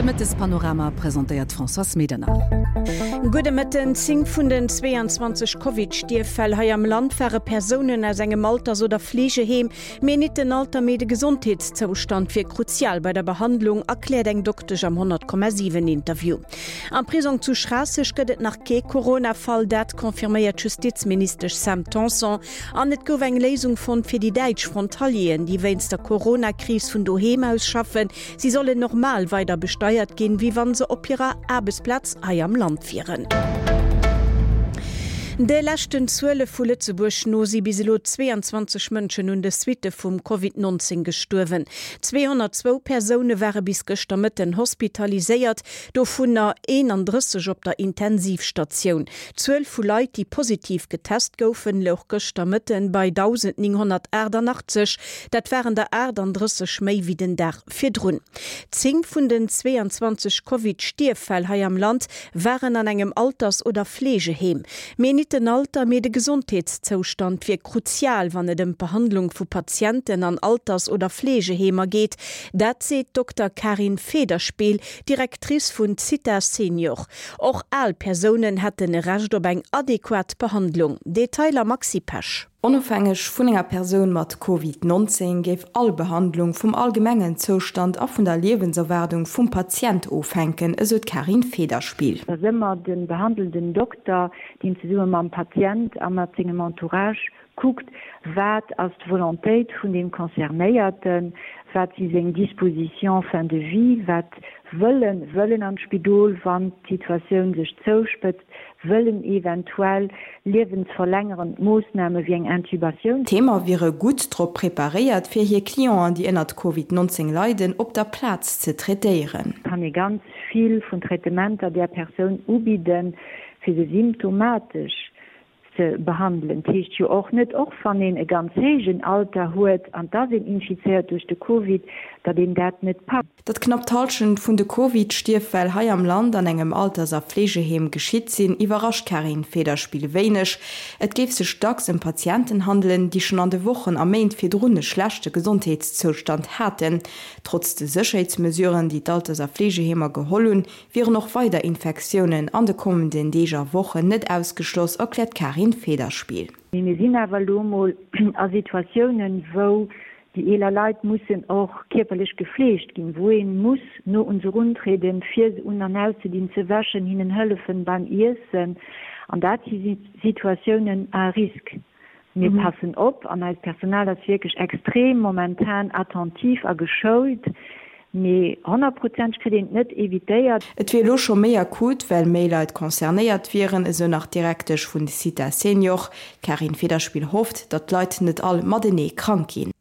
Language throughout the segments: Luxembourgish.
Mëttespanorama presentéiert d'Françoise Medernach. Gudde Mëtten. 10 vun den 22 Covid-Stierffäll hei am Land ware Persounen aus engem Alters oder Fleegeheem. Mee nit den Alter, mee de Gesondheetszoustand wier kruzial bei der Behandlung, erkläert eng Doktesch am 100,7 Interview. Am Prisong zu Schraasseg gëtt et nach kee Corona-Fall, dat confirméiert d'Justizministesch Sam Tanson. An et gouf eng Léisung fonnt fir déi däitsch Frontalieren, déi wéinst der Corona-Kris vun doheem aus schaffen. Si sollen normal weider besteiert ginn, wéi wann se op hirer Aarbechtsplaz hei am Land wieren. De leschten Zuele vu Lëtzebuerg no si bis elo 22 Mënschen un de Suitte vum Covid 19 gestuerwen. 202 Persoune ware bis gëschter Mëtten hospitaliséiert, dovunner 31 op der Intensivstatioun. D'Zuel vu Leit, déi positiv getest goufen, louch gëschter Mëtten bei 1.988. Dat waren der 38 méi wéi den Dag virdrun. 10 vun den 22 Covid-Stierffäll hei am Land waren an engem Alters oder Fleegeheem. Mee nit den Alter, mee de Gesondheetszoustand wier kruzial, wann et ëm d'Behandlung vu Patienten an Alters oder Fleegeheemer geet. Dat seet d'Dokter Karin Federspiel, Directrice vun Zitha Senior. Och al Persounen hätten e Recht op eng adequat Behandlung. Detailer Maxi Pesch. Onofhängeg vun enger Persoun mat Covid 19 géif all Behandlung vum allgemengen Zoustand a vun der Liewenserwaardung vum Patient ofhänken, esou d'Karin Federspiel. Et ass ëmmer de behandelnden Dokter, deen zesumme mam Patient a mat sengem Entourage kuckt, wat ass d'Volontéit vun deem Concernéierten, wat si seng Dispositions fin de vie, wat wëll en, wëll en an d'Spidol, wann d'Situatioun sech zouspëtzt, wëll en eventuell liewensverlängerend Moossname wéi eng Intubatioun. D'Heemer wiere gutt drop preparéiert, fir hir Clienten, déi ënnert Covid 19 leiden, op der Plaz ze traitéieren. Kann ee ganz vill vun Traitementer där Persoun ubidden, fir se symptomatesch ze behandelen. 't heescht jo och net, och wann een e ganz héijen Alter huet an 't ass een infizéiert duerch de Covid, datt een dat net packt. Datt knapp d'Hallschent vun de Covid-Stierffäll hei am Land an engem Alters a Fleegeheem geschitt sinn, iwwerrascht d'Carine Federspiel wéineg. Et géif sech dacks ëm Patienten handelen, déi schonn an de Wochen a Méint virdrun e schlechte Gesondheetszoustand haten. Trotz de Sécherheetsmesuren, déi d'Alters a Fleegeheemer geholl hunn, wieren och weider Infektiounen an de kommenden Deeg a Wochen net ausgeschloss, erkläert d'Karin Federspiel. Mee mir sinn awer elo emol a Situatiounen, wou déi eeler Leit mussen och kierperlech gefleegt ginn, wou ee muss no un se eruntrieden, fir se un an auszedinn, ze wäschen, hinnen hëllefen beim Iessen. An dat si Situatiounen à risque. Mir passen op an eist Personal ass wierklech extrem momentan attentif a geschoult, mee honnertprozenteg kritt een et net evitéiert. Et wier elo scho méi akut, well méi Leit concernéiert wieren, esou nach d'Direktesch vun Zitha Senior. D'Karin Federspiel hofft, datt d'Leit net all matenee krank ginn.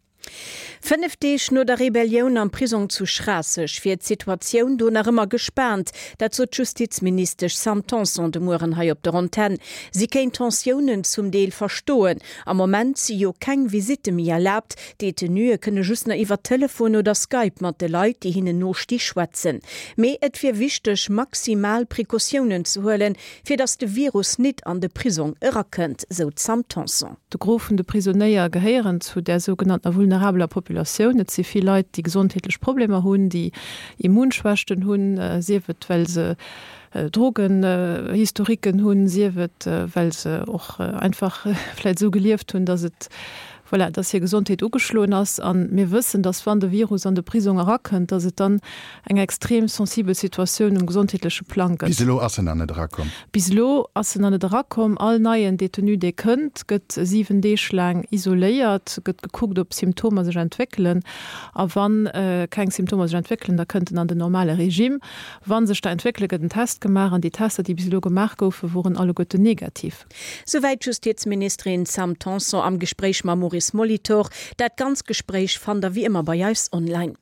5 Deeg no der Rebellioun am Prisong zu Schraasseg wier d'Situatioun do nach ëmmer gespaant. Dat sot d'Justizministesch Sam Tanson de Mueren hei op der Antenn. Si kéint d'Tensiounen zum Deel verstoen. Am Moment si jo keng Visitte méi erlaabt. D'Detenuë kënne just nach iwwer Telefon oder Skype mat de Leit, déi hinnen no sti, schwätzen. Mee et wier wichteg, maximal Precautiounen ze huelen, fir datt de Virus nit an de Prisong erakënnt, sou d'Sam Tanson. De Gros vun de Prisonéier gehéieren zu där sougenanntener vulnerabeler Populatioun. Et si vill Leit, déi gesondheetlech Problemer hunn, déi Immunschwächten hunn, sief et well se Drogenhistoriquen hunn, sief et well se och einfach vläicht esou gelieft hunn, datt et, voilà, datt hir Gesondheet ugeschloen ass. A mir wëssen, datt wann de Virus an de Prisong erakënnt, datt et dann eng extrem sensibel Situatioun um gesondheetleche Plang gëtt. Bis elo ass en nach net erakomm. Bis elo ass en nach net erakomm. All neien Detenu, dee kënnt, gëtt 7 Deeg laang isoléiert, gëtt gekuckt, ob Symptomer sech entwéckelen. A wa keng Symptomer sech entwéckelen, da kënnt en an den normale Regime. Wa sech der entwéckelen, gëtt en Test gemaach. An déi Tester, déi bis elo gemaach goufen, woren alleguerten negativ. Souwäit d'Justizministerin Sam Tanson am Gespréich mam Maurice Molitor. Dat ganz Gespréich fannt der wéi ëmmer bei eis online.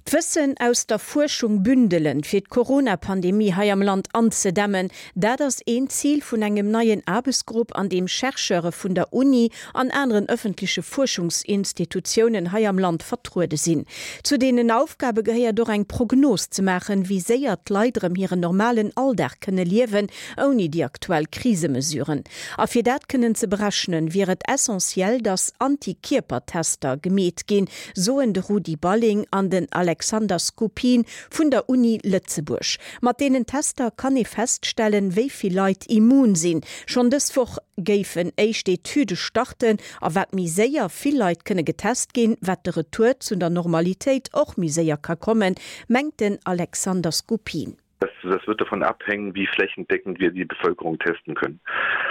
D'Wëssen aus der Fuerschung bündelen, fir d'Corona-Pandemie hei am Land anzedämmen, dat ass een Zil vun engem neien Aarbechtsgrupp, an deem Chercheure vun der Uni an aneren ëffentleche Fuerschungsinstitutiounen hei am Land vertruede sinn. Zu deenen Aufgabe gehéiert och eng Prognos ze maachen, wéi séier d'Leit erëm hiren normalen Alldag kënne liewen, ouni déi aktuell Krisemesuren. A fir dat kënnen ze berechnen, wier et essentiell, datt Antikierpertester gemeet ginn, soen de Rudi Balling an den Alexander. Alexander Skupin vun der Uni Lëtzebuerg. Mat deenen Tester kann ee feststellen, wéi vill Leit immun sinn. Schonn dës Woch géifen éischt Etüde starten a wat méi séier vill Leit kënne getest ginn, wat de Retour zu der Normalitéit och méi séier ka kommen, mengt den Alexander Skupin. Das, das wird davon abhängen, wie flächendeckend wir die Bevölkerung testen können.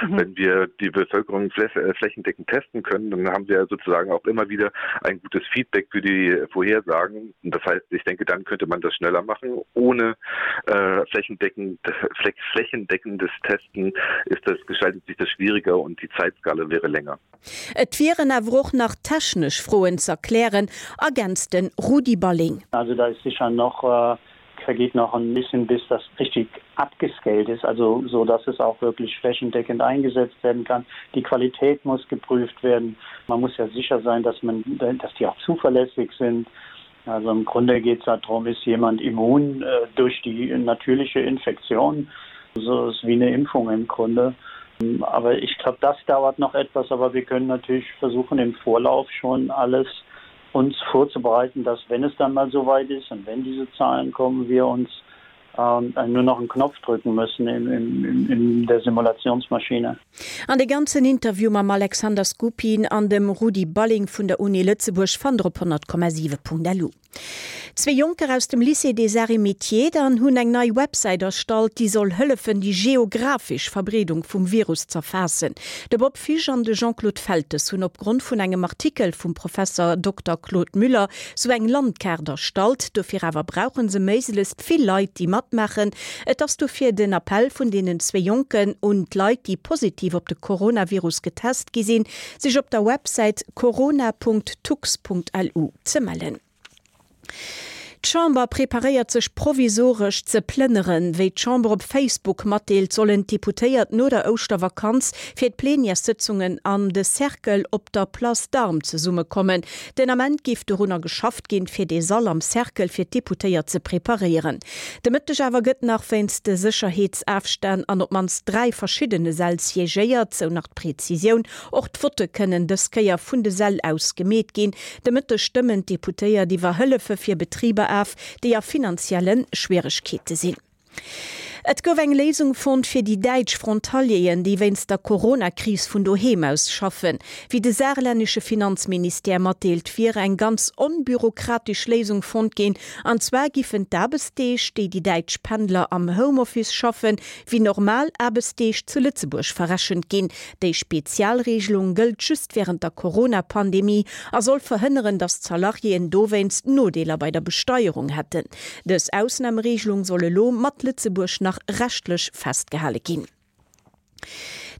Mhm. Wenn wir die Bevölkerung äh, flächendeckend testen können, dann haben wir sozusagen auch immer wieder ein gutes Feedback für die Vorhersagen. Und das heißt, ich denke, dann könnte man das schneller machen. Ohne äh, flächendeckend, flächendeckendes Testen ist das, gestaltet sich das schwieriger und die Zeitskala wäre länger. Et wieren awer och nach technesch Froen z'erklären, ergänzt de Rudi Balling. Also da ist sicher noch äh, vergeht noch ein bisschen bis das richtig abgescaled ist, also so dass es auch wirklich flächendeckend eingesetzt werden kann. Die Qualität muss geprüft werden. Man muss ja sicher sein, dass man dass die auch zuverlässig sind. Also im Grunde geht es darum, ist jemand immun äh, durch die natürliche Infektion. So ist wie eine Impfung im Grunde. Aber ich glaube, das dauert noch etwas, aber wir können natürlich versuchen, im Vorlauf schon alles uns vorzubereiten, dass wenn es dann mal so weit ist und wenn diese Zahlen kommen, wir uns ähm, nur noch einen Knopf drücken müssen in, in, in der Simulationsmaschine. An de ganzen Interview mam Alexander Skupin an dem Rudi Balling vun der Uni Lëtzebuerg fannt der op 100,7.lu. Zwee Jonker aus dem Lycée des Arts et Métiers dann hunn eng nei Websäit erstallt, déi soll hëllefen, déi geographesch Verbreedung vum Virus z'erfaassen. De Bob Fisch an de Jean-Claude Feltes hunn opgrond vun engem Artikel vum Professer Dokter Claude Müller sou eng Landkaart erstallt. Dofir awer brauche se méiglechst vill Leit, déi matmaachen. Et ass dofir den Appell vun deenen zwee Jonken un d'Leit, déi positiv op de Coronavirus getest gi sinn, sech op der Websäit corona.tux.lu ze mellen. D'Chamber preparéiert sech provisoresch ze plënneren. Wéi d'Chamber op Facebook matdeelt, sollen d'Deputéiert no der Ouschtervakanz fir d'Plenièressëtzungen an de Cercle op der Place d'Armes zesummekommen. Den Ament géif dorunner geschafft ginn, fir dee Sall am Cercle fir d'Deputéiert ze preparéieren. De Mëtteg awer gëtt nach wéinst de Sécherheetsafstänn an op d'mannst 3 verschiddene Säll siégéiert, sou nach d'Prezisioun. Och d'Votte kënnen dës Kéier vun de Säll aus gemeet ginn. De Mëtteg stëmmen d'Deputéiert iwwer Hëllefe fir Betriber af, déi a finanzielle Schwieregkeete sinn. Et gouf eng Léisung fonnt fir déi däitsch Frontalieren, déi wéinst der Corona-Kris vun doheem aus schaffen. Wéi de saarlännesche Finanzministère matdeelt, wier eng ganz onbürokratesch Léisung fonnt ginn. An zwar giffen d'Aarbechtsdeeg, déi déi däitsch Pendler am Homeoffice schaffen, wéi normal Aarbechtsdeeg zu Lëtzebuerg verrechent ginn. Déi Spezialregelung gëllt just wärend der Corona-Pandemie a soll verhënneren, datt d'Salariéen dowéinst Nodeeler bei der Besteierung hätten. Dës Ausnameregelung soll elo mat Lëtzebuerg nach rechtlech festgehale ginn.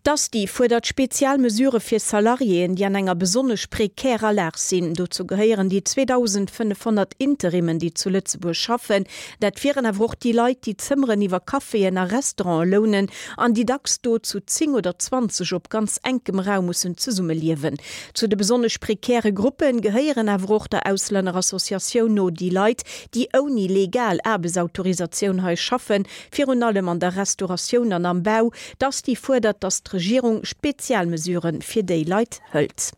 D'Asti fuerdert spezial Mesurë fir Salariéen, déi an enger besonnesch prekärer Lag sinn. Dozou gehéieren déi 2.500 Interimmen, déi zu Lëtzebuerg schaffen. Dat wieren awer och déi Leit, déi Zëmmeren iwwer Caféen a Restaurante lounen an déi dacks do zu 10 oder 20 op ganz enkem Raum mussen zesummeliewen. Zu de besonnesch prekäre Gruppe gehéieren awer och der Auslännerassociatioun no déi Leit, déi ouni legal Aarbechtsautorisatioun hei schaffen, virun allem an der Restauratioun an am Bau. D'Asti fuerdert, datt d'Regierung Spezialmesurë fir déi Leit hëlt.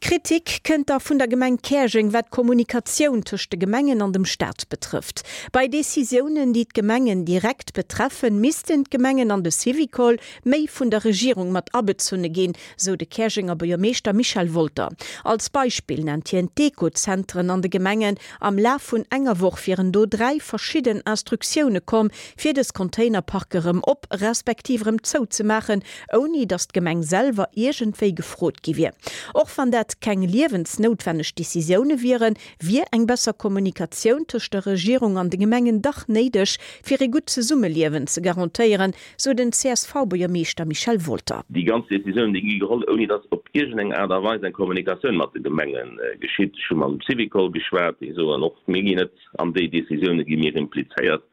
Kritik kënnt da vun der Gemeng Käerjeng, wat d'Kommunikatioun tëscht de Gemengen an dem Staat betrëfft. Bei Decisiounen, déi d'Gemengen direkt betreffen, missten d'Gemengen an de Syvicol méi vun der Regierung mat abezunne ginn, sou de Käerjenger Buergermeeschter Michel Wolter. Als Beispill nennt hien d'Ekozentren an de Gemengen. Am Laf vun enger Woch wieren do 3 verschidden Instruktioune komm, fir dës Containerparke rëm op, respektiv rëm zou ze maachen, ouni datt d'Gemeng selwer iergendwéi gefrot gi wier. Och wann dat keng liewensnoutwenneg Decisioune wieren, wier eng besser Kommunikatioun tëscht der Regierung an de Gemengen dach néideg, fir ee gutt Zesummeliewen ze garantéieren, sou den CSV-Buergermeeschter Michel Wolter. Déi ganz Decisiounen, déi gi geholl, ouni datt op iergendeng Aart a Weis eng Kommunikatioun mat de Gemenge geschitt. Ech hu mam Syvicol geschwat, déi soen och, mir ginn net an déi Decisioune gi mir implizéiert.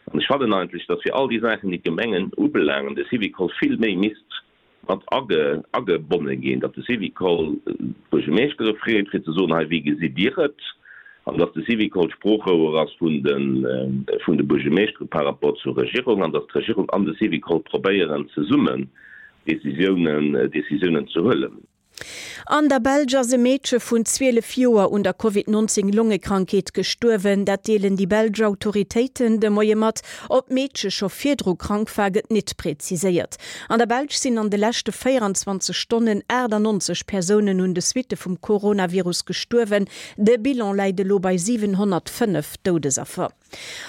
An ech fannen eigentlech, datt fir all déi Saachen, déi d'Gemengen ubelaangen, de Syvicol vill méi misst mat agebonne ginn, datt de Syvicol d'Buergermeeschtere freet, fir ze soen, hei, wéi gesitt Dir et? An datt de Syvicol d'Sproochrouer ass vun de Buergermeeschtere par rapport zur Regierung an datt d'Regierung an de Syvicol probéieren, zesummen Décisiounen ze huelen. An der Belsch ass e Meedche vun 12 Joer un der Covid 19 Longekrankheet gestuerwen. Dat deelen déi belsch Autoritéiten de Moie mat. Ob d'Meedche scho virdru krank war, gëtt nit präziséiert. An der Belsch sinn an de leschte 24 Stonnen 98 Persounen un de Suitte vum Coronavirus gestuerwen. De Bilan läit elo bei 705 Doudesaffer.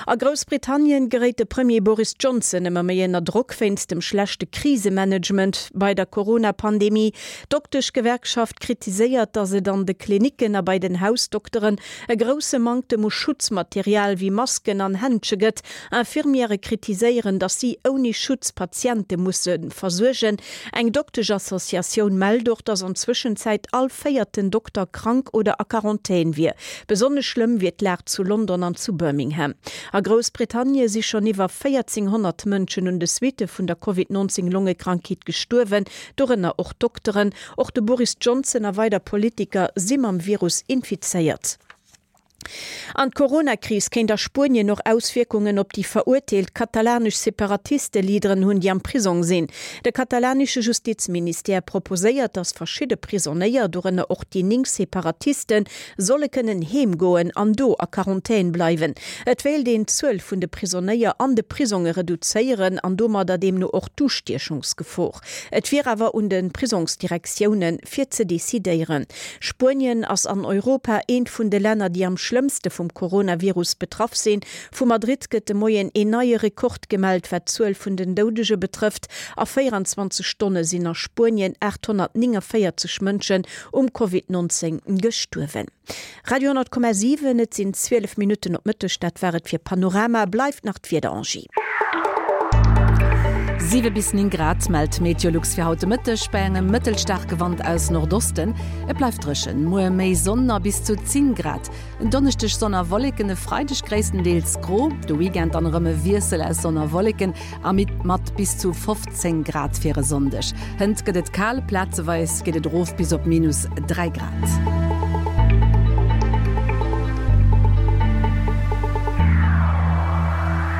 A Groussbritannien geréit de Premier Boris Johnson ëmmer méi ënner Drock wéinst dem schlechte Krisemanagement bei der Corona-Pandemie. D'Dokteschgewerkschaft kritiséiert, datt et an de Klinicken a bei den Hausdokteren e grousse Manktem u Schutzmaterial wéi Masken an Händsche gëtt. Infirmièrë kritiséieren, datt si ouni Schutz Patiente musse versuergen. Eng Dokteschassociatioun mellt och, datt an Zwëschenzäit all véierten Dokter krank oder a Quarantän wier. Besonnesch schlëmm wier d'Lag zu London an zu Birmingham. A Groussbritannie si schonn iwwer 1.400 Mënschen un de Suitte vun der Covid 19 Longekrankheet gestuerwen, dorënner och Dokteren. Och de Boris Johnson a weider Politiker si mam Virus infizéiert. An d'Corona-Kris kéint a Spuenien och Auswierkungen op déi verurteelt katalanesch Separatiste-Leaderen hunn, déi am Prisong sinn. De katalanesche Justizministère proposéiert, datt verschidde Prisonéier, dorënner och déi 9 Separatisten, solle kënnen heem goen an do a Quarantän bleiwen. Et wéilt een d'Zuel vun de Prisonéier an de Prisonge reduzéieren an domadder deemno och d'Ustiechungsgefor. Et wier awer un de Prisongsdirektioune fir ze decidéieren. Spuenien ass an Europa eent vun de Länner, déi am schlëmmste vum Coronavirus betraff sinn. Vu Madrid gëtt de Moien een neie Rekord gemellt, wat d'Zuel vun den Doudege betrëfft. A 24 Stonne sinn a Spuenien 849 Mënschen um Covid 19 gestuerwen. Radio 10,7, Et sinn 12 Minutten op Mëtteg, dat war et fir Panorama. Bleift nach d'Wieder, Angie. 7 bis 9 Grad mellt Meteolux fir haut de Mëtteg bei engem mëttelstaarke Wand aus Nordosten. Et bleift dréchen, muer méi Sonn a bis zu 10 Grad. En Donneschdeg Sonn a Wolleken, e Freideg gréisstendeels gro, de Weekend dann erëm e Wiessel aus Sonn a Wolleken a mat bis zu 15 Grad fir e Sonndeg. Hënt gëtt et kal, plazeweis geet et erof bis op minus 3 Grad.